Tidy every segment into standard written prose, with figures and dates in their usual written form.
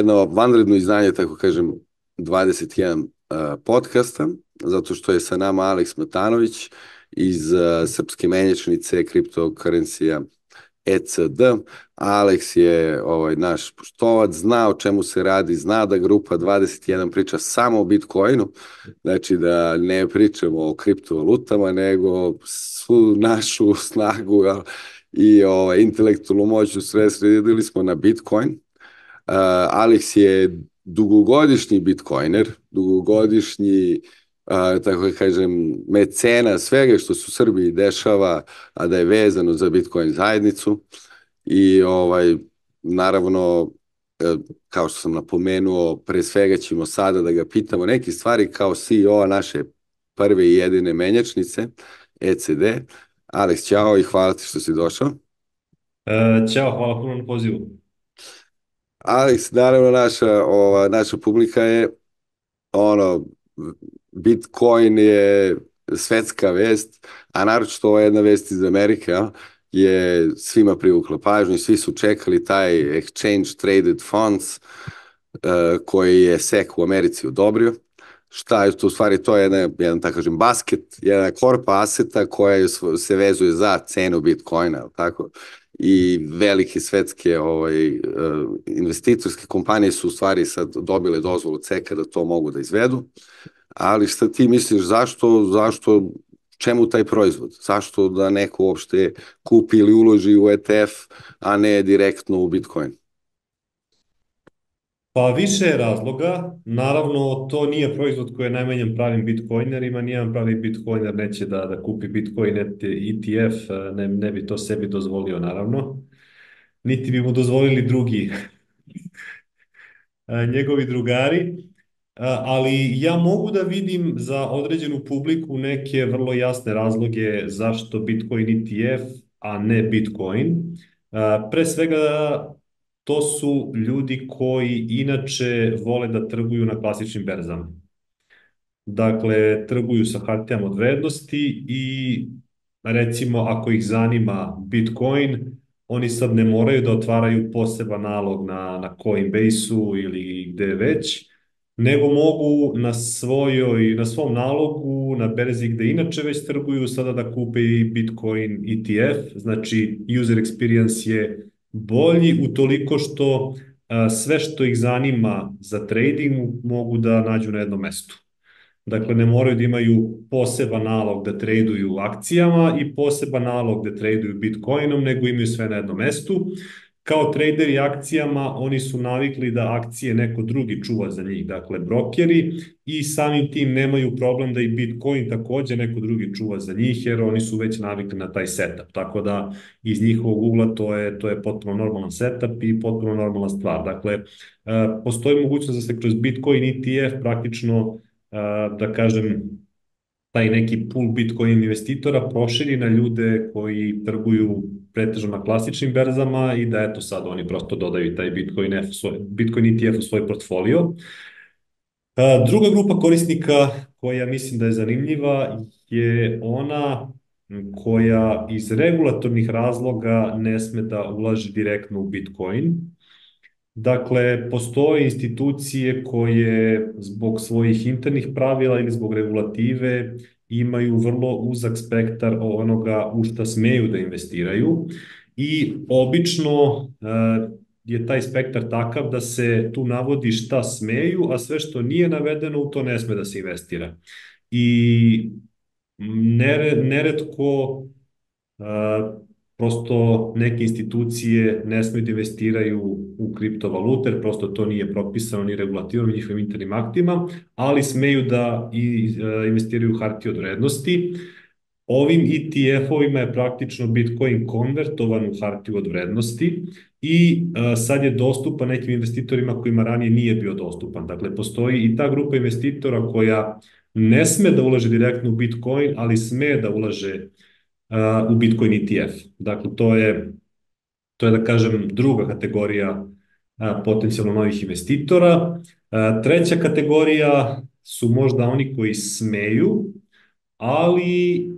jedno vanredno izdanje, tako kažem, 21 podcasta, zato što je sa nama Aleks Matanović iz srpske menjačnice kriptokarencija ECD. Aleks je naš poštovac, zna o čemu se radi, zna da grupa 21 priča samo o Bitcoinu, znači da ne pričamo o kriptovalutama, nego svu našu snagu i intelektualnu moć sve sredili smo na Bitcoin. Aleks je dugogodišnji bitcoiner, dugogodišnji, tako da kažem, mecena svega što se u Srbiji dešava, a da je vezano za Bitcoin zajednicu. I naravno, kao što sam napomenuo, pre svega ćemo sada da ga pitamo neke stvari kao CEO naše prve i jedine menjačnice, ECD. Aleks, ćao i hvala ti što si došao. Ćao, hvala puno na pozivu. Aleks, naravno, naša publika je Bitcoin je svetska vest, a naročito ova jedna vest iz Amerike je svima privukla pažnju, svi su čekali taj Exchange Traded Funds koji je SEC u Americi odobrio. Šta je to u stvari? To je jedan tako kažem, basket, jedna korpa aseta koja se vezuje za cenu Bitcoina, tako? I velike svetske investitorske kompanije su u stvari sad dobile dozvolu CEC-a da to mogu da izvedu. Ali šta ti misliš, čemu taj proizvod? Zašto da neko uopšte kupi ili uloži u ETF, a ne direktno u Bitcoin? Pa više je razloga. Naravno, to nije proizvod koji je namenjen pravim bitcoinerima. Nijedan pravi bitcoiner neće da kupi Bitcoin ETF, ne bi to sebi dozvolio, naravno. Niti bi mu dozvolili drugi njegovi drugari. Ali ja mogu da vidim za određenu publiku neke vrlo jasne razloge zašto Bitcoin ETF, a ne Bitcoin. Pre svega, to su ljudi koji inače vole da trguju na klasičnim berzama. Dakle, trguju sa hartijama od vrednosti i recimo ako ih zanima Bitcoin, oni sad ne moraju da otvaraju poseban nalog na Coinbase-u ili gde već, nego mogu na svom nalogu, na berzi gde inače već trguju, sada da kupe i Bitcoin ETF. Znači, user experience je bolji utoliko što sve što ih zanima za trading mogu da nađu na jednom mestu. Dakle, ne moraju da imaju poseban nalog da traduju akcijama i poseban nalog da traduju Bitcoinom, nego imaju sve na jednom mestu. Kao traderi akcijama, oni su navikli da akcije neko drugi čuva za njih, dakle brokeri, i samim tim nemaju problem da i Bitcoin takođe neko drugi čuva za njih, jer oni su već navikli na taj setup. Tako da iz njihovog ugla to je potpuno normalan setup i potpuno normalna stvar. Dakle, postoji mogućnost da se kroz Bitcoin ETF praktično, da kažem, taj neki pool Bitcoin investitora proširi na ljude koji trguju pretežno na klasičnim berzama i da eto sad oni prosto dodaju taj Bitcoin ETF u svoj portfolio. Druga grupa korisnika koja mislim da je zanimljiva je ona koja iz regulatornih razloga ne sme da ulaže direktno u Bitcoin. Dakle, postoje institucije koje zbog svojih internih pravila ili zbog regulative imaju vrlo uzak spektar onoga u šta smeju da investiraju i obično je taj spektar takav da se tu navodi šta smeju, a sve što nije navedeno u to ne sme da se investira. I neretko prosto neke institucije ne smeju da investiraju u kriptovalute, jer prosto to nije propisano ni regulativom ni njihovim internim aktima, ali smeju da investiraju u hartije od vrednosti. Ovim ETF-ovima je praktično Bitcoin konvertovan u hartiju od vrednosti i sad je dostupan nekim investitorima kojima ranije nije bio dostupan. Dakle, postoji i ta grupa investitora koja ne sme da ulaže direktno u Bitcoin, ali sme da ulaže u Bitcoin ETF. Dakle, to je da kažem druga kategorija potencijalno novih investitora. Treća kategorija su možda oni koji smeju, ali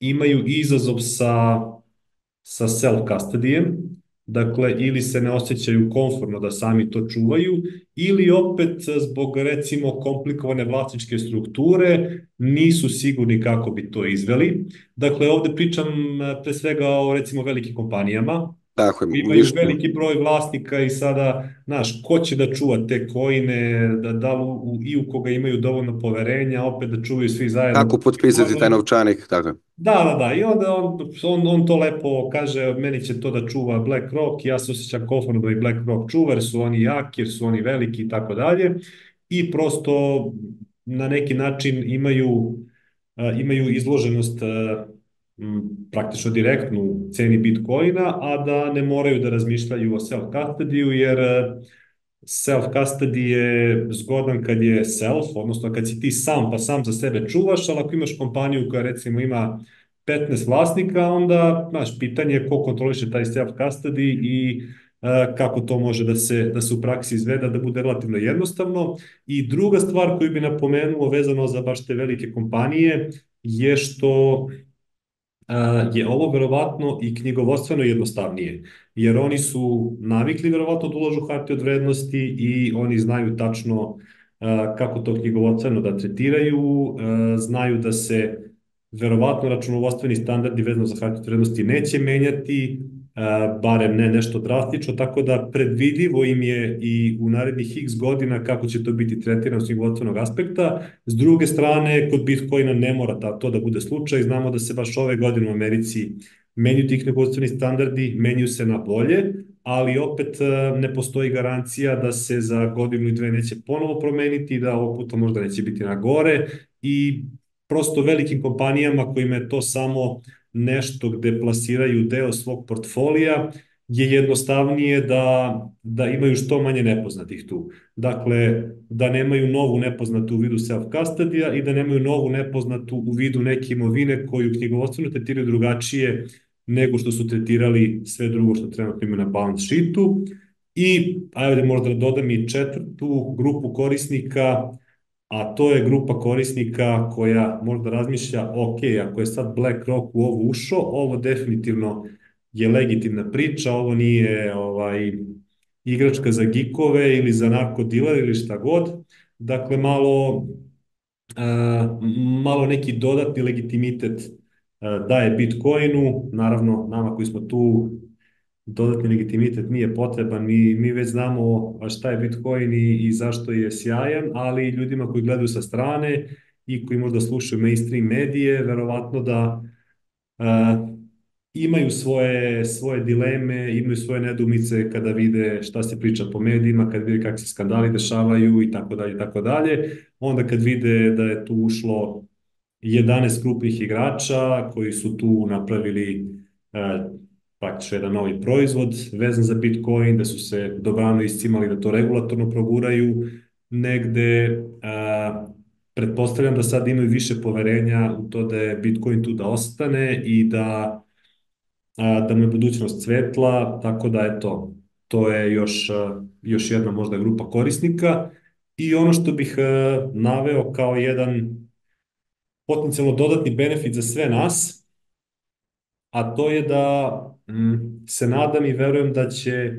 imaju izazov sa self-custodijem. dakle ili se ne osjećaju komfortno da sami to čuvaju, ili opet zbog recimo komplikovane vlasničke strukture nisu sigurni kako bi to izveli. Dakle, ovde pričam pre svega o recimo velikim kompanijama, Tako je, imaju više, veliki broj vlasnika i sada, znaš, ko će da čuva te coine, da li i u koga imaju dovoljno poverenja, opet da čuvaju svi zajedno. kako potpisati taj novčanik, tako je. Da, i onda on to lepo kaže, meni će to da čuva BlackRock, ja se osjećam komfortno da i BlackRock čuva, jer su oni jaki, jer su oni veliki i tako dalje. I prosto na neki način imaju izloženost praktično direktnu ceni Bitcoina, a da ne moraju da razmišljaju o self-custody-u, jer self-custody je zgodan kad je self, odnosno kad si ti sam pa sam za sebe čuvaš, ali ako imaš kompaniju koja recimo ima 15 vlasnika, onda, znaš, pitanje je ko kontroliše taj self-custody i kako to može da se u praksi izveda, da bude relativno jednostavno. I druga stvar koju bi napomenuo vezano za baš te velike kompanije je što je ovo verovatno i knjigovodstveno jednostavnije, jer oni su navikli verovatno da ulažu hartije od vrednosti i oni znaju tačno kako to knjigovodstveno da tretiraju, znaju da se verovatno računovodstveni standardi vezano za hartije od vrednosti neće menjati, barem ne nešto drastično, tako da predvidivo im je i u narednih x godina kako će to biti tretirano s knjigovodstvenog aspekta. S druge strane, kod Bitcoina ne mora to da bude slučaj. Znamo da se baš ove godine u Americi menjuju ti knjigovodstveni standardi, menjuju se na bolje, ali opet ne postoji garancija da se za godinu i dve neće ponovo promeniti, da ovog puta možda neće biti na gore i prosto velikim kompanijama kojima je to samo nešto gde plasiraju deo svog portfolija je jednostavnije da imaju što manje nepoznatih tu. Dakle, da nemaju novu nepoznatu u vidu self-custody-a i da nemaju novu nepoznatu u vidu neke imovine koju knjigovodstveno tretiraju drugačije nego što su tretirali sve drugo što trenutno imaju na balance sheetu. I, ajde možda da dodam i četvrtu grupu korisnika, a to je grupa korisnika koja možda razmišlja, ok, ako je sad BlackRock u ovo ušao, ovo definitivno je legitimna priča, ovo nije igračka za gikove ili za narkodilere ili šta god. Dakle, malo neki dodatni legitimitet daje Bitcoinu, naravno nama koji smo tu dodatni legitimitet nije potreban, mi već znamo šta je Bitcoin i zašto je sjajan, ali ljudima koji gledaju sa strane i koji možda slušaju mainstream medije, verovatno da imaju svoje dileme, imaju svoje nedumice kada vide šta se priča po medijima, kad vide kakvi se skandali dešavaju i tako dalje, i tako dalje. Onda kad vide da je tu ušlo 11 krupnih igrača koji su tu napravili praktično jedan novi proizvod vezan za Bitcoin, da su se dobrano iscimali da to regulatorno proguraju negde. Pretpostavljam da sad imaju više poverenja u to da je Bitcoin tu da ostane i da mu je budućnost svetla, tako da eto, to je još jedna možda grupa korisnika. I ono što bih naveo kao jedan potencijalno dodatni benefit za sve nas, a to je da se nadam i verujem da će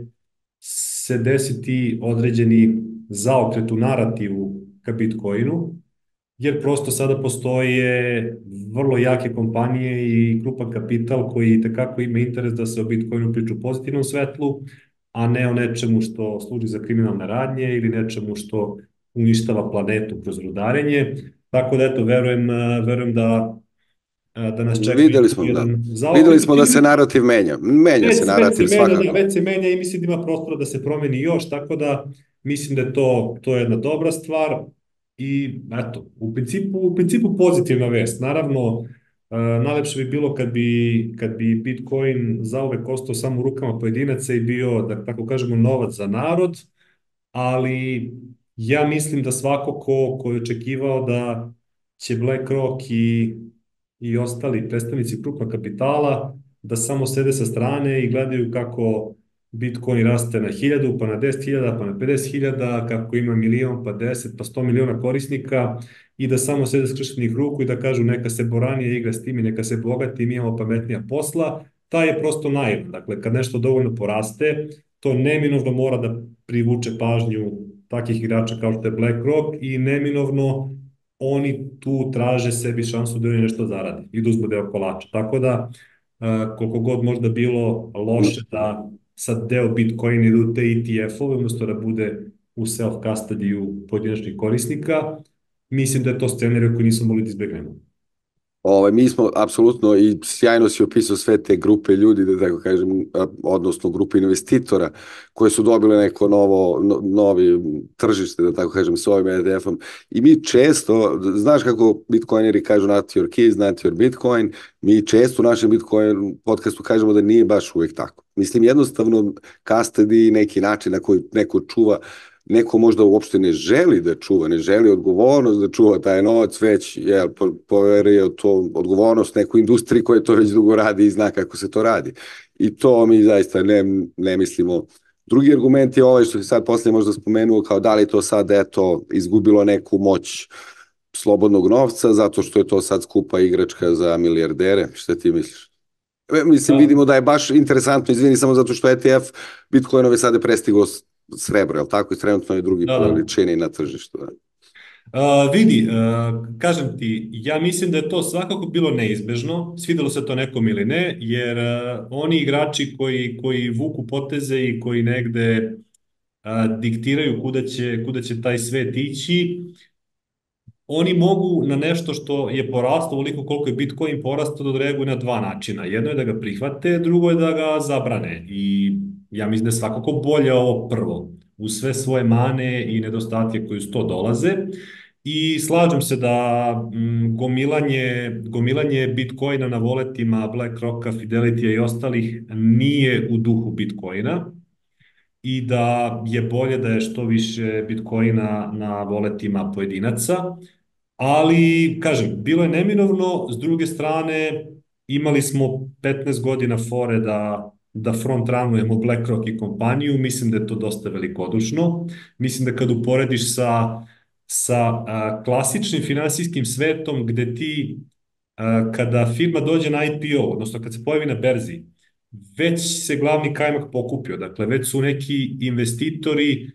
se desiti određeni zaokret u narativu ka Bitcoinu, jer prosto sada postoje vrlo jake kompanije i krupan kapital koji tekako ima interes da se o Bitcoinu priča u pozitivnom svetlu, a ne o nečemu što služi za kriminalne radnje ili nečemu što uništava planetu kroz rudarenje. Tako da eto, verujem da nas čeka Videli smo, da. jedan Videli zaokret. smo da se narativ menja. Menja se Već se narativ menja, da, svakako. već se menja i mislim da ima prostora da se promeni još, tako da mislim da je to jedna dobra stvar i eto, u principu pozitivna vest. Naravno, najlepše bi bilo kad bi Bitcoin zauvek ostao samo u rukama pojedinaca i bio, da tako kažemo, novac za narod, ali ja mislim da svako ko je očekivao da će BlackRock i ostali predstavnici krupnog kapitala da samo sede sa strane i gledaju kako Bitcoin raste na 1000, pa na 10.000, pa na 50.000, kako ima milion, pa 10, pa 100 miliona korisnika i da samo sede skrštenih ruku i da kažu neka se Boranije igra s tim i neka se bogati, mi imamo pametnija posla. taj je prosto naivan. Dakle, kad nešto dovoljno poraste, to neminovno mora da privuče pažnju takih igrača kao što je BlackRock i neminovno oni tu traže sebi šansu da oni nešto zarade i da uzmu deo kolača. Tako da, koliko god možda bilo loše da sad deo Bitcoin ide u te ETF-ove, umesto da bude u self-custody pojedinačnih korisnika, mislim da je to scenarij koji nismo mogli da izbegnemo. Mi smo apsolutno, i sjajno si opisao sve te grupe ljudi, da tako kažem, odnosno grupe investitora koje su dobile neko novi tržište, da tako kažem, s ovim ETF-om. I mi često, znaš kako bitcoineri kažu not your keys, not your bitcoin, mi često u našem Bitcoin podcastu kažemo da nije baš uvijek tako. Mislim, jednostavno custody, neki način na koji neko čuva, neko možda uopšte ne želi da čuva, ne želi odgovornost da čuva taj novac, već poverio to odgovornost nekoj industriji koja to već dugo radi i zna kako se to radi. I to mi zaista ne mislimo. Drugi argument je ovaj što je sad poslije možda spomenuo, kao da li to sad izgubilo neku moć slobodnog novca, zato što je to sad skupa igračka za milijardere. Šta ti misliš? Mislim, vidimo da je baš interesantno, izvini, samo zato što ETF Bitcoinove sada je prestiglo srebro, jel tako? I trenutno je drugi po veličini na tržištu. Vidi, kažem ti, ja mislim da je to svakako bilo neizbežno, svidelo se to nekom ili ne, jer oni igrači koji vuku poteze i koji negde diktiraju kuda će taj svet ići, oni mogu na nešto što je porastao ovoliko koliko je Bitcoin porastao da reaguju na dva načina. Jedno je da ga prihvate, drugo je da ga zabrane. I ja mislim da je svakako bolje ovo prvo, uz sve svoje mane i nedostatke koji uz to dolaze. I slažem se da gomilanje Bitcoina na voletima BlackRocka, Fidelitya i ostalih nije u duhu Bitcoina i da je bolje da je što više Bitcoina na voletima pojedinaca. Ali, kažem, bilo je neminovno, s druge strane imali smo 15 godina fore da front ranujemo BlackRock i kompaniju, mislim da je to dosta velikodušno. Mislim da kad uporediš sa klasičnim finansijskim svetom gde ti kada firma dođe na IPO, odnosno kad se pojavi na berzi, već se glavni kajmak pokupio, dakle već su neki investitori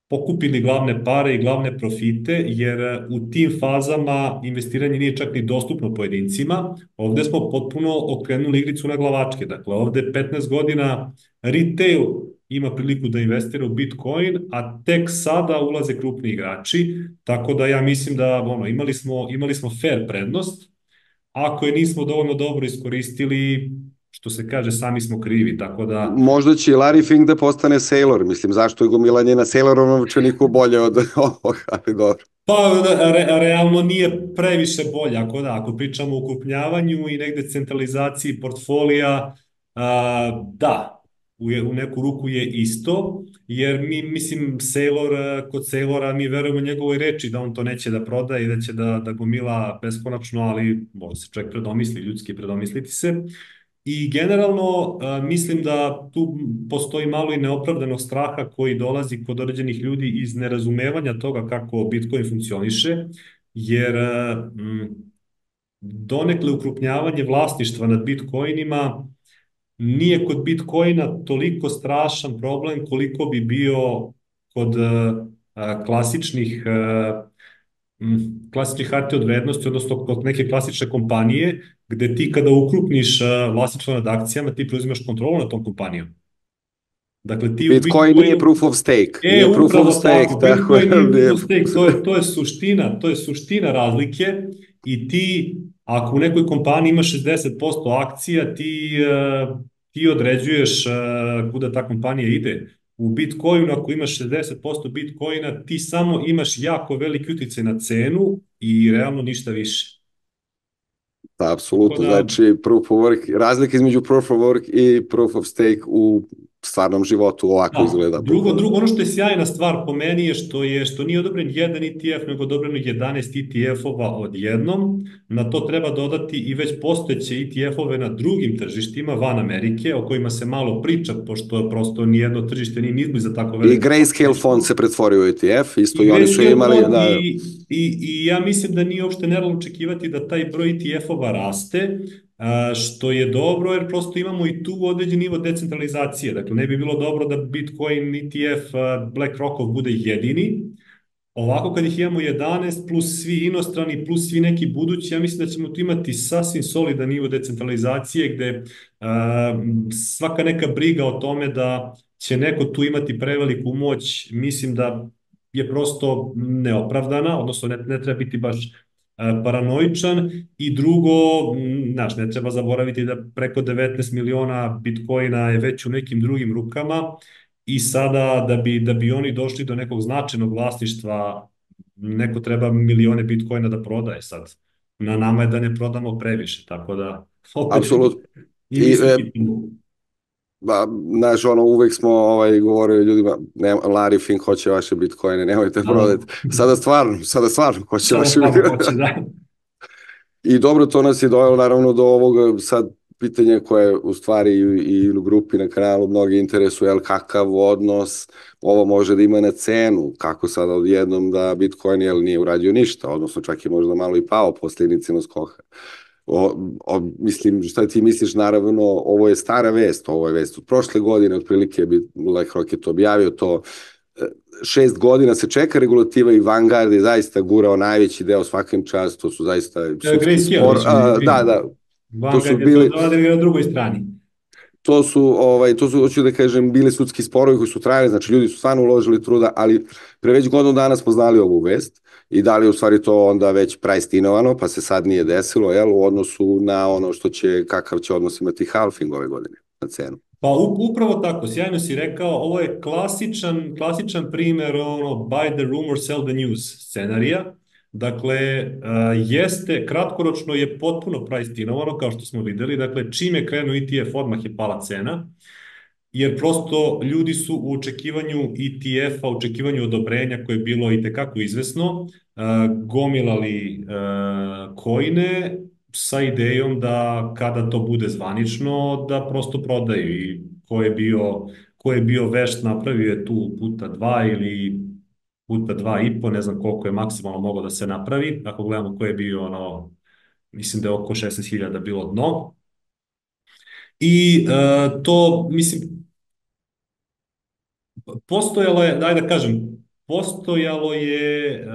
pokupili glavne pare i glavne profite, jer u tim fazama investiranje nije čak ni dostupno pojedincima. Ovde smo potpuno okrenuli igricu na glavačke. Dakle, ovde 15 godina retail ima priliku da investira u Bitcoin, a tek sada ulaze krupni igrači, tako da ja mislim da imali smo fair prednost. Ako je nismo dovoljno dobro iskoristili, što se kaže, sami smo krivi, tako da... Možda će Larry Fink da postane Sailor, mislim, zašto je gomilanje na Sailorom novčaniku bolje od ovoga, ali dobro. Pa, realno nije previše bolje, ako pričamo o ukrupnjavanju i negde centralizaciji portfolija, da, u neku ruku je isto, jer mislim, kod Sailora mi verujemo njegovoj reči da on to neće da proda i da će da gomila beskonačno, ali može se čovjek predomisli, ljudski predomisliti se. I generalno mislim da tu postoji malo i neopravdanog straha koji dolazi kod određenih ljudi iz nerazumevanja toga kako Bitcoin funkcioniše, jer donekle ukrupnjavanje vlasništva nad Bitcoinima nije kod Bitcoina toliko strašan problem koliko bi bio kod klasičnih hartija od vrednosti, odnosno kod neke klasične kompanije, gde ti kada ukrupniš vlasništvo nad akcijama, ti preuzimaš kontrolu nad tom kompanijom. Dakle, ti Bitcoin nije proof of stake. Nije proof of stake, Bitcoin nije proof of stake, to je suština razlike i ti, ako u nekoj kompaniji ima 60% akcija, ti određuješ kuda ta kompanija ide. U Bitcoinu, ako imaš 60% Bitcoina, ti samo imaš jako veliki uticaj na cenu i realno ništa više. Da, apsolutno. Znači, razlika između proof of work i proof of stake u stvarnom životu ovako izgleda. Drugo, ono što je sjajna stvar po meni je što nije odobren jedan ETF, nego odobreno 11 ETF-ova odjednom. Na to treba dodati i već postojeće ETF-ove na drugim tržištima van Amerike, o kojima se malo priča, pošto prosto nijedno tržište nije nizmo za tako veliko. I Grayscale fond se pretvorio u ETF, isto i oni su imali... I ja mislim da nije uopšte nerealno očekivati da taj broj ETF-ova raste, što je dobro jer prosto imamo i tu određen nivo decentralizacije. Dakle, ne bi bilo dobro da Bitcoin ETF BlackRockov bude jedini. Ovako kad ih imamo 11 plus svi inostrani plus svi neki budući, ja mislim da ćemo tu imati sasvim solidan nivo decentralizacije gde svaka neka briga o tome da će neko tu imati preveliku moć, mislim da je prosto neopravdana, odnosno ne treba biti baš paranoičan i drugo, znaš, ne treba zaboraviti da preko 19 miliona bitcoina je već u nekim drugim rukama i sada da bi oni došli do nekog značajnog vlasništva, neko treba milione bitcoina da prodaje sad. Na nama je da ne prodamo previše, tako da opet Apsolutno. i I, mi se pitamo. ba, znaš, uvek smo govorili ljudima, ne, Larry Fink hoće vaše bitcoine, nemojte Da, prodati. Sada stvarno hoće sada vaše stvarno bitcoine. hoće, da. I dobro, to nas je dojelo naravno do ovog sad pitanja koje u stvari i u grupi na kanalu mnogi interesuje, jel kakav odnos ovo može da ima na cenu, kako sada odjednom da Bitcoin nije uradio ništa, odnosno čak je možda malo i pao posle inicijalnog skoka. Mislim, šta ti misliš, naravno, ovo je stara vest, ovo je vest od prošle godine, otprilike BlackRock je to objavio, to 6 godina se čeka regulativa i Vanguard je zaista gurao najveći deo svakim čas, to su zaista sudski Grayscale, spor, da, to su Vanguard je to bili, odradili na drugoj strani. to su, hoću da kažem, bili sudski sporovi koji su trajali, znači ljudi su stvarno uložili truda, ali pre već godinu dana smo znali ovu vest i da li je u stvari to onda već prajstinovano, pa se sad nije desilo, jel, u odnosu na ono kakav će odnos imati halving ove godine na cenu. Pa upravo tako, sjajno si rekao, ovo je klasičan primer ono buy the rumor, sell the news scenarija. Dakle, kratkoročno je potpuno pricetinovano, kao što smo videli, dakle, čim je krenuo ETF, odmah je pala cena, jer prosto ljudi su u očekivanju ETF-a, u očekivanju odobrenja koje je bilo i tekako izvesno, gomilali coine sa idejom da kada to bude zvanično, da prosto prodaju i ko je bio vešt napravio je tu puta dva ili puta dva i po, ne znam koliko je maksimalno moglo da se napravi, ako gledamo ko je bio mislim da je oko 16.000 bilo dno. I to, mislim, postojalo je, daj da kažem, postojala je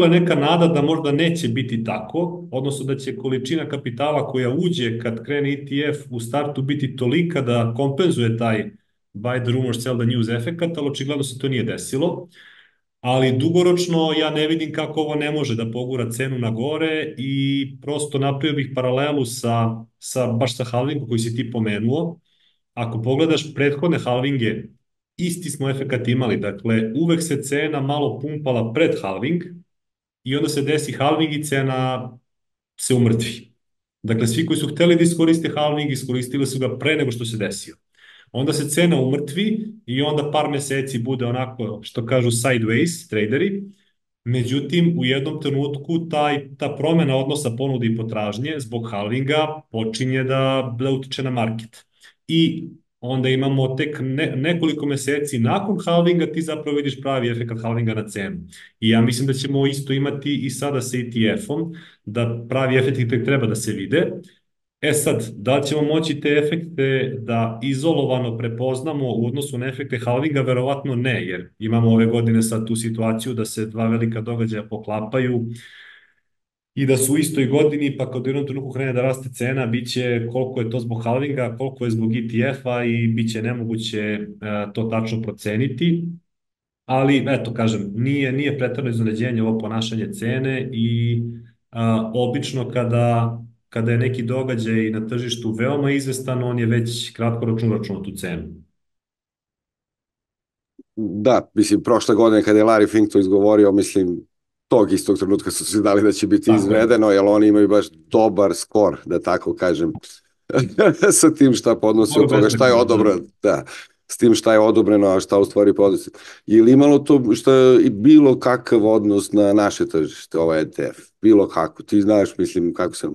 neka nada da možda neće biti tako, odnosno da će količina kapitala koja uđe kad krene ETF u startu biti tolika da kompenzuje taj buy the rumor, sell the news efekat, ali očigledno se to nije desilo. Ali dugoročno ja ne vidim kako ovo ne može da pogura cenu na gore i prosto napravio bih paralelu baš sa halvingom koji si ti pomenuo. Ako pogledaš prethodne halvinge, isti smo efekat imali, dakle uvek se cena malo pumpala pred halving i onda se desi halving i cena se umrtvi. Dakle, svi koji su hteli da iskoriste halving, iskoristili su ga pre nego što se desio. Onda se cena umrtvi i onda par meseci bude onako, što kažu sideways traderi. Međutim, u jednom trenutku ta promena odnosa ponude i potražnje zbog halvinga počinje da utiče na market. I onda imamo tek nekoliko meseci nakon halvinga ti zapravo vidiš pravi efekt halvinga na cenu. I ja mislim da ćemo isto imati i sada sa ETF-om, da pravi efekti tek treba da se vide. E sad, da li ćemo moći te efekte da izolovano prepoznamo u odnosu na efekte halvinga? Verovatno ne, jer imamo ove godine sad tu situaciju da se dva velika događaja poklapaju i da su u istoj godini, pa kad u jednom trenutku krene da raste cena, biće koliko je to zbog halvinga, koliko je zbog ETF-a i biće nemoguće to tačno proceniti. Ali, eto, kažem, nije preterano iznenađenje ovo ponašanje cene i obično kada je neki događaj na tržištu veoma izvestan, on je već kratkoročno uračunao tu cenu. Da, mislim, prošle godine kada je Larry Fink to izgovorio, mislim, tog istog trenutka su se dali da će biti izvedeno, jer oni imaju baš dobar skor, da tako kažem, sa tim šta podnosi od toga, šta je odobrano, da, s tim šta je odobreno, a šta u stvari podnosi. Je li imalo to bilo kakav odnos na naše tržište, ovaj ETF? Bilo kako, ti znaš, mislim, kako se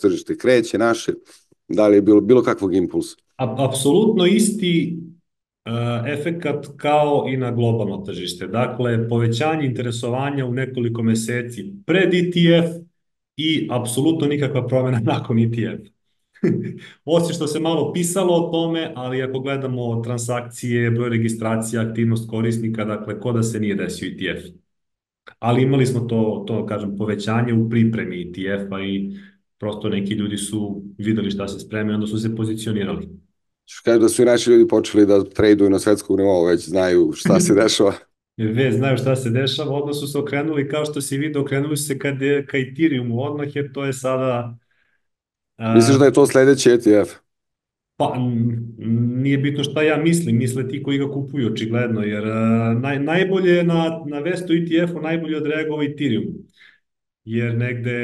tržište kreće naše, da li je bilo kakvog impulsa? Apsolutno isti efekat kao i na globalno tržište. Dakle, povećanje interesovanja u nekoliko meseci pred ETF i apsolutno nikakva promjena nakon ETF. Osim što se malo pisalo o tome, ali ako gledamo transakcije, broj registracija, aktivnost korisnika, dakle, ko da se nije desio ETF. Ali imali smo to kažem, povećanje u pripremi ETF-a i prosto neki ljudi su videli šta se spreme, onda su se pozicionirali. Kaže da su i naši ljudi počeli da traduju na svetskom nivou, već znaju šta se dešava. Već znaju šta se dešava, odmah su se okrenuli, kao što si vidio, okrenuli su se ka Ethereumu odmah, jer to je sada... Misliš da je to sledeći ETF? Pa, nije bitno šta ja mislim, misle ti koji ga kupuju, očigledno, jer najbolje na Vestu ETF-u najbolje odreagovao Ethereum, jer negde,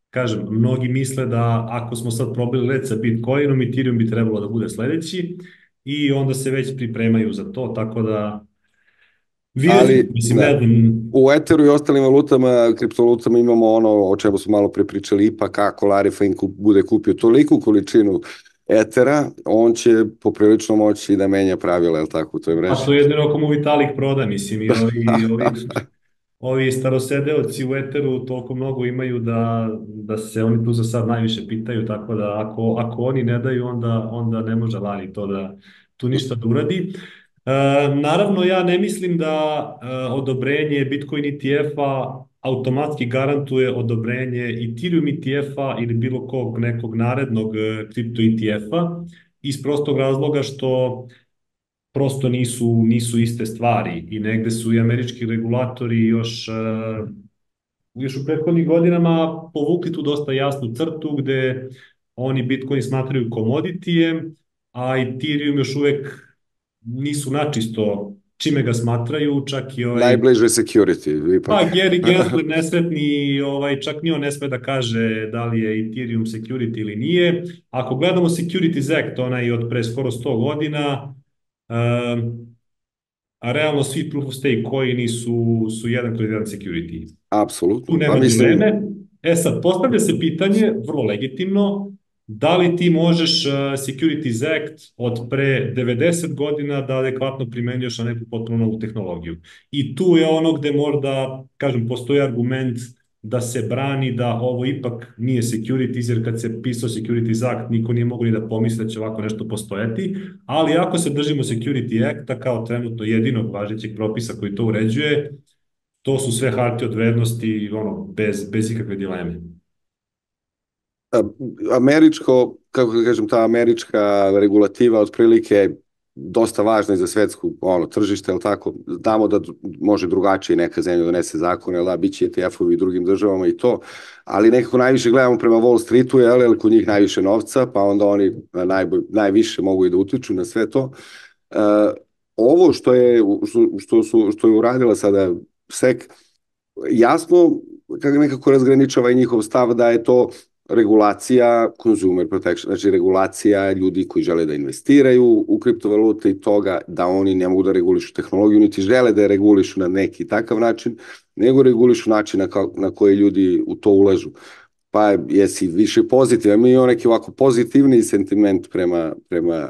kažem, mnogi misle da ako smo sad probili led sa Bitcoinom, Ethereum bi trebalo da bude sledeći i onda se već pripremaju za to, tako da vidjet ćemo, Ali mislim, ne znam. u Etheru i ostalim valutama, kriptovalutama imamo ono o čemu smo malo pre pričali, ipak ako Larry Fink bude kupio toliku količinu Ethera, on će poprilično moći da menja pravila, je li tako, u toj A mreži? to je jedino ako mu Vitalik proda, mislim, i ovi starosedeoci u Eteru toliko mnogo imaju da se oni tu za sad najviše pitaju, tako da ako oni ne daju, onda ne može Lari to da tu ništa da uradi. Naravno, ja ne mislim da odobrenje Bitcoin ETF-a automatski garantuje odobrenje Ethereum ETF-a ili bilo kog nekog narednog kripto ETF-a, iz prostog razloga što prosto nisu iste stvari i negde su i američki regulatori još u prethodnih godinama povukli tu dosta jasnu crtu gde oni Bitcoin smatraju komoditijem, a Ethereum još uvek nisu načisto čime ga smatraju, čak i Najbliže security, ipak. pa Gary Gensler nesretni, čak ni on ne sme da kaže da li je Ethereum security ili nije. Ako gledamo Securities Act, onaj od pre skoro 100 godina, a realno svi proof of stake coini su jedan kroz jedan security. Tu Apsolutno, pa nema mislim, dileme. E sad, postavlja se pitanje, vrlo legitimno, da li ti možeš Securities Act od pre 90 godina da adekvatno primenjuješ na neku potpuno novu tehnologiju. I tu je ono gde možda, kažem, postoji argument da se brani da ovo ipak nije securities, jer kad se pisao Securities Act niko nije mogo ni da pomisli da će ovako nešto postojati, ali ako se držimo Security Acta kao trenutno jedinog važećeg propisa koji to uređuje, to su sve hartije od vrednosti, bez ikakve dileme. američko, kako da kažem, ta američka regulativa otprilike dosta važna i za svetsku tržište, ali tako, znamo da može drugačije neka zemlja donese zakone, da, bit će ETF-ovi i drugim državama i to, ali nekako najviše gledamo prema Wall Streetu, jer kod njih najviše novca, pa onda oni najviše mogu i da utiču na sve to. Ovo što je uradila sada SEC, jasno nekako razgraničava i njihov stav da je to regulacija consumer protection, znači regulacija ljudi koji žele da investiraju u kriptovalute i toga da oni ne mogu da regulišu tehnologiju, niti žele da je regulišu na neki takav način, nego regulišu način na koji ljudi u to ulažu. Pa jesi više pozitivan, mi imamo neki ovako pozitivni sentiment prema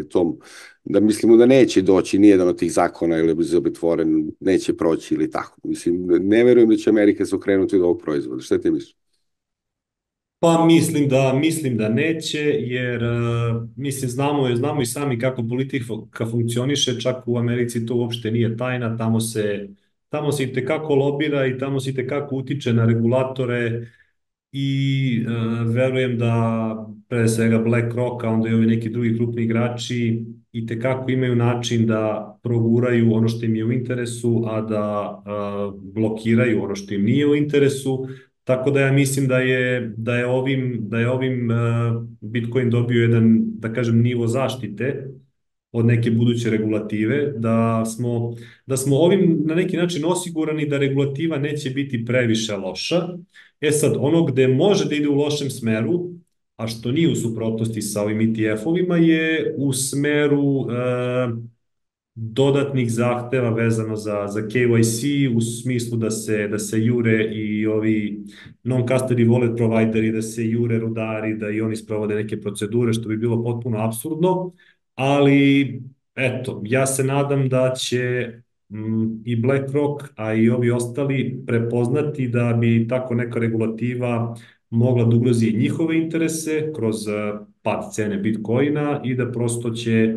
tom, da mislimo da neće doći nijedan od tih zakona ili bezobitvoren, neće proći ili tako. Mislim, ne verujem da će Amerika se okrenuti od ovog proizvoda. Šta ti misliš? Pa mislim da neće, jer mislim znamo i sami kako politika funkcioniše, čak u Americi to uopšte nije tajna, tamo se i tekako lobira i tamo se i tekako utiče na regulatore i verujem da pre svega BlackRock, a onda i ovi neki drugi krupni igrači i tekako imaju način da proguraju ono što im je u interesu, a da blokiraju ono što im nije u interesu. Tako da ja mislim da je ovim Bitcoin dobio jedan, da kažem, nivo zaštite od neke buduće regulative, da smo ovim na neki način osigurani da regulativa neće biti previše loša. E sad, ono gde može da ide u lošem smeru, a što nije u suprotnosti sa ovim ETF-ovima, je u smeru dodatnih zahteva vezano za KYC, u smislu da se jure i ovi non-custody wallet provideri, da se jure rudari, da i oni sprovode neke procedure, što bi bilo potpuno apsurdno, ali eto, ja se nadam da će i BlackRock, a i ovi ostali prepoznati da bi tako neka regulativa mogla da ugrozi njihove interese kroz pad cene Bitcoina i da prosto će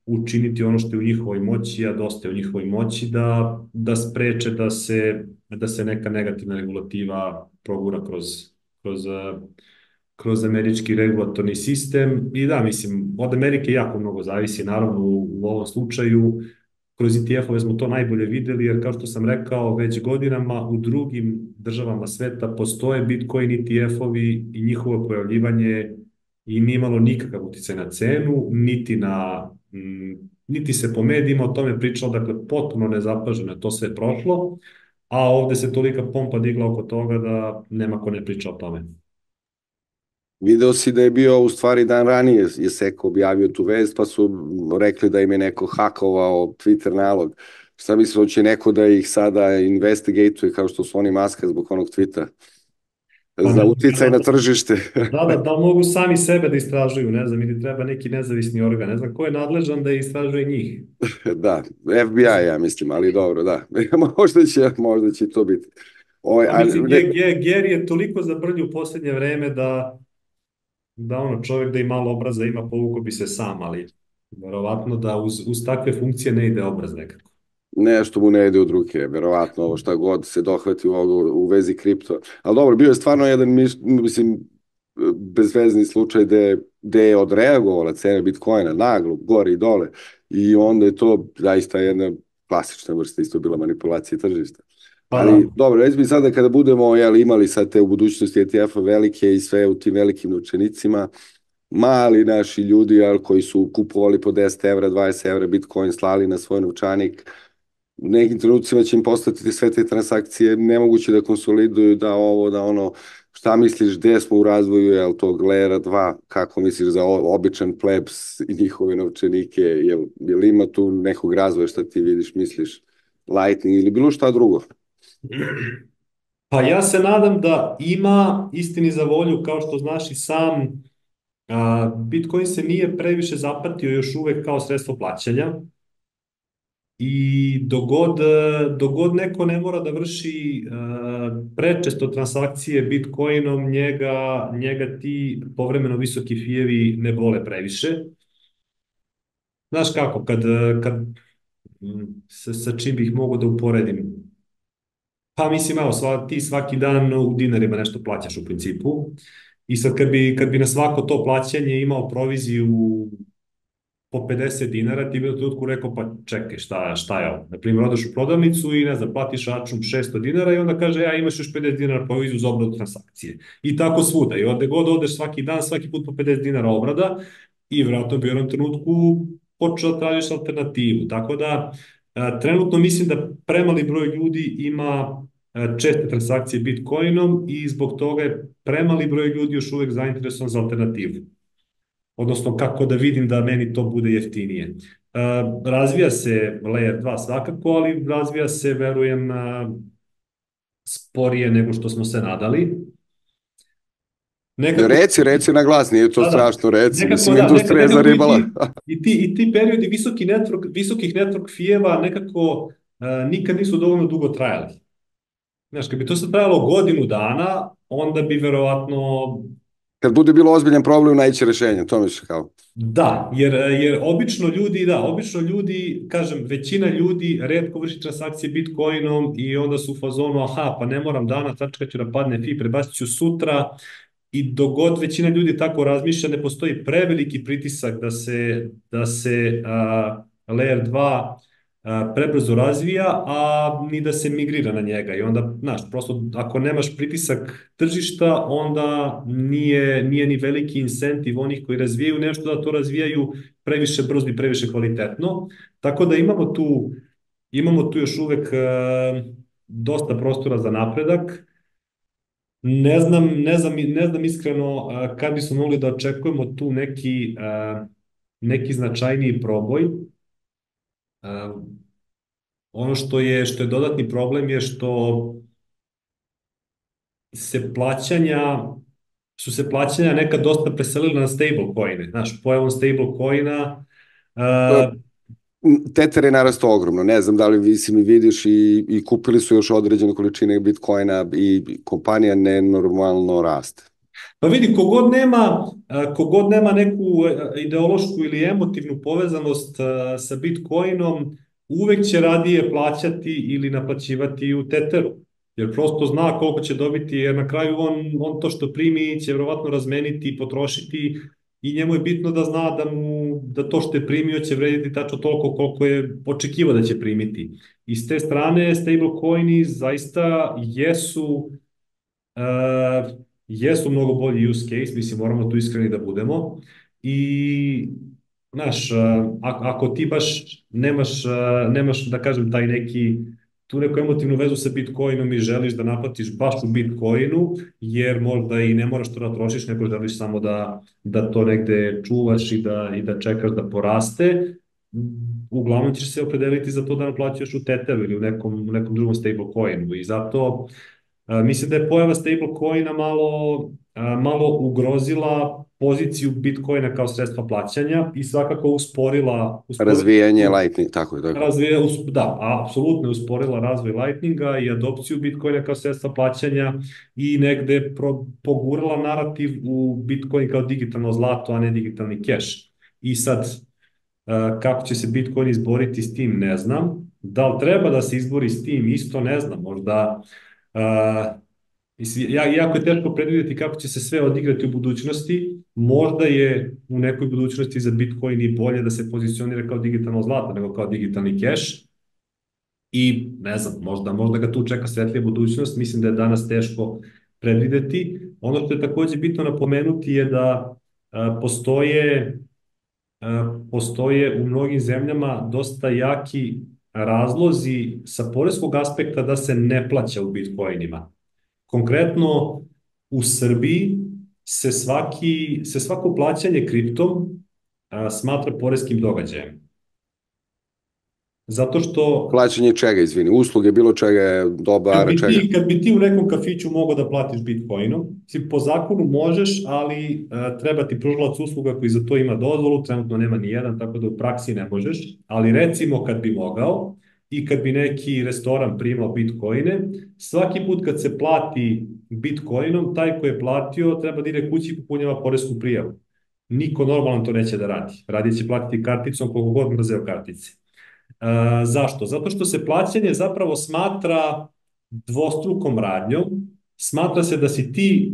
učiniti ono što je u njihovoj moći, a dosta je u njihovoj moći, da spreče da se neka negativna regulativa progura kroz, eh, kroz američki regulatorni sistem. I da, mislim, od Amerike jako mnogo zavisi, naravno u ovom slučaju. Kroz ETF-ove smo to najbolje videli, jer kao što sam rekao, već godinama u drugim državama sveta postoje Bitcoin ETF-ovi i njihovo pojavljivanje i nije imalo nikakav uticaj na cenu, niti se po medijima o tome pričalo, dakle potpuno nezapaženo je to sve prošlo, a ovde se tolika pompa digla oko toga da nema ko ne priča o tome. Video si da je bio u stvari dan ranije je Seko objavio tu vest, pa su rekli da im je neko hakovao Twitter nalog. Šta misliš, hoće neko da ih sada investigatuje kao što su oni Maska zbog onog tvita? Pa Za ne, uticaj na tržište. da li mogu sami sebe da istražuju, ne znam, ili treba neki nezavisni organ, ne znam ko je nadležan da istražuje njih. Da, FBI ja mislim, ali dobro, da. Možda će to biti. Pa mislim, Geri je toliko zabrljio u poslednje vreme da ono čovjek da i malo obraza ima, povukao bi se sam, ali verovatno da uz takve funkcije ne ide obraz nekako. nešto mu ne ide od ruke, verovatno ovo šta god se dohvati u vezi kripto. Ali dobro, bio je stvarno jedan, mislim, bezvezni slučaj gde je odreagovala cena Bitcoina naglo, gore i dole, i onda je to zaista jedna klasična vrsta, isto bila manipulacija tržišta. Pa da. Ali dobro, reći mi sada kada budemo imali sad te u budućnosti ETF-a velike i sve u tim velikim novčanicima, mali naši ljudi koji su kupovali po 10 evra, 20 evra Bitcoin, slali na svoj novčanik, u nekim trenucima će im postati sve te transakcije nemoguće da konsoliduju, da ovo, da ono, šta misliš, gde smo u razvoju, jel to Glera 2, kako misliš za običan plebs i njihove novčanike, jel ima tu nekog razvoja šta ti vidiš, misliš, Lightning ili bilo šta drugo? Pa ja se nadam da ima, istini za volju, kao što znaš i sam, Bitcoin se nije previše zapatio još uvek kao sredstvo plaćanja i dogod neko ne mora da vrši prečesto transakcije Bitcoinom, njega ti povremeno visoki fijevi ne bole previše. Znaš kako, kad sa čim bih mogao da uporedim? Pa mislim, evo, ti svaki dan u dinarima nešto plaćaš u principu i sad kad bi na svako to plaćanje imao proviziju po 50 dinara, ti bi u trenutku rekao, pa čekaj, šta je ovo? Naprimjer, odeš u prodavnicu i ne znam, platiš račun 600 dinara i onda kaže, ja imaš još 50 dinara proviziju za obradu transakcije. I tako svuda. I ovde god odeš svaki dan, svaki put po 50 dinara obrada i vjerojatno bi u jednom trenutku počeo da tražiš alternativu. Tako da, trenutno mislim da premali broj ljudi ima česte transakcije Bitcoinom i zbog toga je premali broj ljudi još uvek zainteresovan za alternativu. Odnosno kako da vidim da meni to bude jeftinije. Razvija se Layer 2 svakako, ali razvija se, verujem, sporije nego što smo se nadali. Reci na glas, nije to strašno, reci, mislim, da, industrija je zaribala. I ti periodi visokih network fijeva nekako nikad nisu dovoljno dugo trajali. Znaš, kad bi to sad trajalo godinu dana, onda bi verovatno... Kad bude bilo ozbiljan problem, naći rešenje, to misliš kao? Da, jer obično ljudi, kažem, većina ljudi retko vrši transakcije Bitcoinom i onda su u fazonu, aha, pa ne moram danas, tačka ću da padne fi, prebacit ću sutra, i dogod većina ljudi tako razmišlja, ne postoji preveliki pritisak da se Layer 2 prebrzo razvija, a ni da se migrira na njega. I onda, znaš, prosto ako nemaš pritisak tržišta, onda nije ni veliki incentiv onih koji razvijaju nešto da to razvijaju previše brzo i previše kvalitetno. Tako da imamo tu još uvek dosta prostora za napredak. Ne znam iskreno kad bismo mogli da očekujemo tu neki značajniji proboj. Ono što je dodatni problem je što su se plaćanja nekad dosta preselila na stablecoine. Znaš, pojavom stablecoina Tether je narastao ogromno, ne znam da li si mi vidiš i kupili su još određene količine Bitcoina i kompanija nenormalno raste. Pa vidi, kogod nema neku ideološku ili emotivnu povezanost sa Bitcoinom, uvek će radije plaćati ili naplaćivati u Tetheru. Jer prosto zna koliko će dobiti, jer na kraju on to što primi će verovatno razmeniti i potrošiti i njemu je bitno da zna da to što je primio će vrediti tačno toliko koliko je očekivao da će primiti. I s te strane stablecoini zaista jesu mnogo bolji use case, mislim, moramo tu iskreni da budemo. I, znaš, ako ti baš nemaš, da kažem, tu neku emotivnu vezu sa Bitcoinom i želiš da naplatiš baš u Bitcoinu, jer možda i ne moraš to da trošiš, nego želiš samo da to negde čuvaš i da čekaš da poraste, uglavnom ćeš se opredeliti za to da naplaćaš u Tetheru ili u nekom drugom stablecoinu. I zato mislim da je pojava stablecoina malo ugrozila poziciju Bitcoina kao sredstva plaćanja i svakako usporila Razvijanje Lightning, tako je. da, apsolutno je usporila razvoj Lightninga i adopciju Bitcoina kao sredstva plaćanja i negde pogurala narativ u Bitcoin kao digitalno zlato, a ne digitalni keš. I sad, kako će se Bitcoin izboriti s tim, ne znam. Da li treba da se izbori s tim, isto ne znam. Možda jako je teško predvidjeti kako će se sve odigrati u budućnosti. Možda je u nekoj budućnosti za Bitcoin i bolje da se pozicionira kao digitalno zlato nego kao digitalni keš. I ne znam, možda ga tu čeka svetlija budućnost. Mislim da je danas teško predvideti. Ono što je takođe bitno napomenuti je da postoje u mnogim zemljama dosta jaki razlozi sa poreskog aspekta da se ne plaća u Bitcoinima. Konkretno, u Srbiji se svako plaćanje kriptom smatra poreskim događajem. Zato što... Plaćanje čega, izvini? Usluge, bilo čega je dobara, čega? Kad bi ti u nekom kafiću mogao da platiš Bitcoinom, po zakonu možeš, ali treba ti pružalac usluga koji za to ima dozvolu, trenutno nema ni jedan, tako da u praksi ne možeš, ali recimo kad bi mogao i kad bi neki restoran primao Bitcoine, svaki put kad se plati Bitcoinom, taj ko je platio treba da ide kući i popunjava poresku prijavu. Niko normalan to neće da radi. Radije će platiti karticom koliko god mrzeo kartice. Zašto? Zato što se plaćanje zapravo smatra dvostrukom radnjom. Smatra se da si ti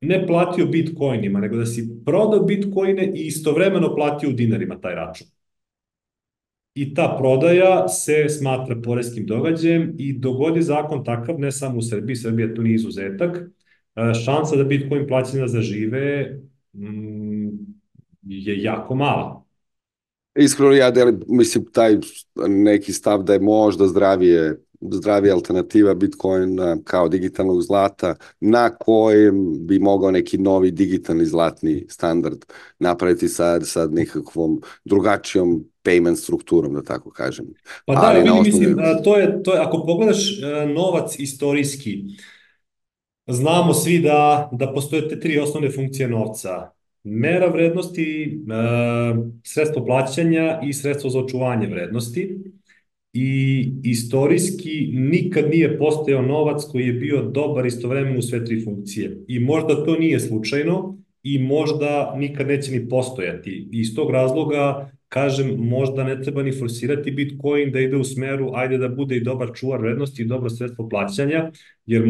ne platio Bitcoinima, nego da si prodao Bitcoine i istovremeno platio u dinarima taj račun. I ta prodaja se smatra poreskim događajem i dogodi zakon takav, ne samo u Srbiji, Srbija tu nije izuzetak, šansa da Bitcoin plaćanja zažive je jako mala. Iskreno ja mislim taj neki stav da je možda zdravija alternativa Bitcoina kao digitalnog zlata na kojem bi mogao neki novi digitalni zlatni standard napraviti sa nekakvom drugačijom payment strukturom, da tako kažem. Pa da, vidi, mislim, to je, ako pogledaš novac istorijski, znamo svi da postoje te tri osnovne funkcije novca. Mera vrednosti, sredstvo plaćanja i sredstvo za očuvanje vrednosti. I istorijski nikad nije postojao novac koji je bio dobar istovremeno u sve tri funkcije. I možda to nije slučajno i možda nikad neće ni postojati. I iz tog razloga, kažem, možda ne treba ni forsirati Bitcoin da ide u smeru, ajde da bude i dobar čuvar vrednosti i dobro sredstvo plaćanja, jer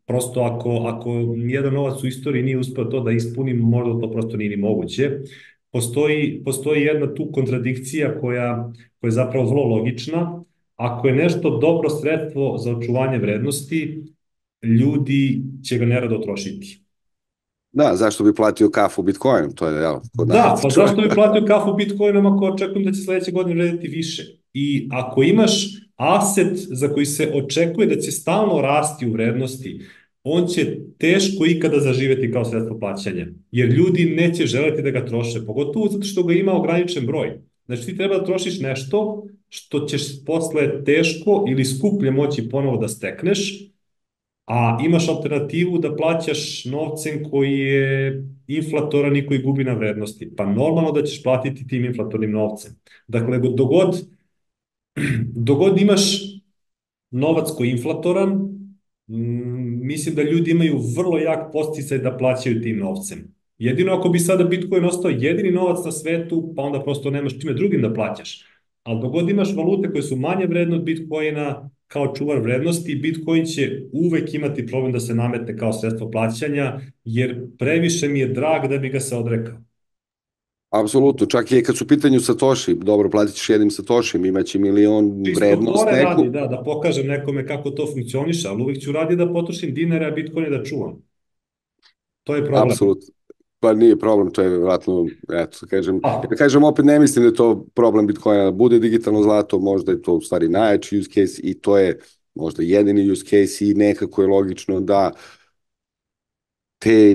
prosto ako nijedan novac u istoriji nije uspeo to da ispuni, možda to prosto nije ni moguće. Postoji jedna tu kontradikcija koja je zapravo vrlo logična. Ako je nešto dobro sredstvo za očuvanje vrednosti, ljudi će ga nerado trošiti. Da, zašto bi platio kafu Bitcoinom? To je, da, pa zašto bi platio kafu Bitcoinom ako očekujem da će sledeće godine vrediti više? I ako imaš aset za koji se očekuje da će stalno rasti u vrednosti, on će teško ikada zaživeti kao sredstvo plaćanja, jer ljudi neće želeti da ga troše, pogotovo zato što ga ima ograničen broj. Znači ti treba da trošiš nešto što ćeš posle teško ili skuplje moći ponovo da stekneš, a imaš alternativu da plaćaš novcem koji je inflatoran i koji gubi na vrednosti. Pa normalno da ćeš platiti tim inflatornim novcem. Dakle, dogod imaš novac koji je inflatoran, mislim da ljudi imaju vrlo jak podsticaj da plaćaju tim novcem. Jedino ako bi sada Bitcoin ostao jedini novac na svetu, pa onda prosto nemaš čime drugim da plaćaš. Ali dogod imaš valute koje su manje vredne od Bitcoina kao čuvar vrednosti, Bitcoin će uvek imati problem da se nametne kao sredstvo plaćanja, jer previše mi je drag da bi ga se odrekao. Apsolutno, čak i kad su u pitanju Satoshi, dobro, platit ćeš jednim Satoshim, imaće milion Čisto vrednost fore neku. radi, da pokažem nekome kako to funkcioniše, ali uvek ću radi da potrošim dinare, a Bitcoin je da čuvam. To je problem. Apsolutno. Pa nije problem, to je vjerojatno, eto, kažem, A, ja kažem, opet ne mislim da je to problem Bitcoina, da bude digitalno zlato, možda je to u stvari najjači use case i to je možda jedini use case i nekako je logično da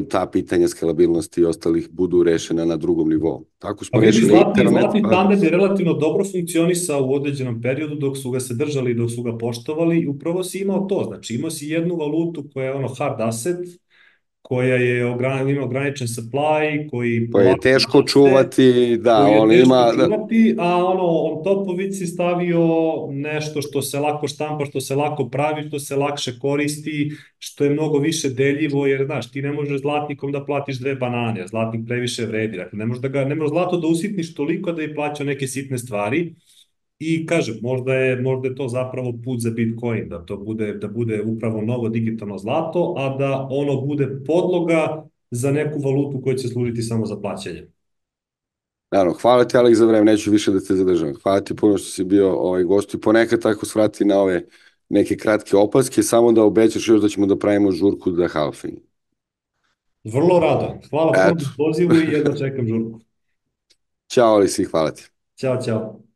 ta pitanja skalabilnosti i ostalih budu rešena na drugom nivou. Tako Pa smo vidi, rešili internet, zlatni pa tandem je relativno dobro funkcionisao u određenom periodu dok su ga se držali i dok su ga poštovali i upravo si imao to. Znači imao si jednu valutu koja je ono hard asset, koja ima ograničen supply, koji to je polako teško raste, čuvati, da, koji je on teško ima, da, čuvati, a ono, on topovici stavio nešto što se lako štampa, što se lako pravi, što se lakše koristi, što je mnogo više deljivo, jer, znaš, ti ne možeš zlatnikom da platiš 2 banane, jer zlatnik previše vredi, dakle, ne možeš zlato da usitniš toliko da bi plaćao neke sitne stvari, i kažem, možda je to zapravo put za Bitcoin, da bude upravo novo digitalno zlato, a da ono bude podloga za neku valutu koja će služiti samo za plaćanje. naravno, hvala ti Alex za vreme, neću više da te zadržam. Hvala ti puno što si bio gost i ponekad tako svrati na ove neke kratke opaske, samo da obećaš još da ćemo da pravimo žurku za halfing. Vrlo rado. Hvala puno Eto, na pozivu i jedva čekam žurku. ćao Alex i hvala ti. Ćao, ćao.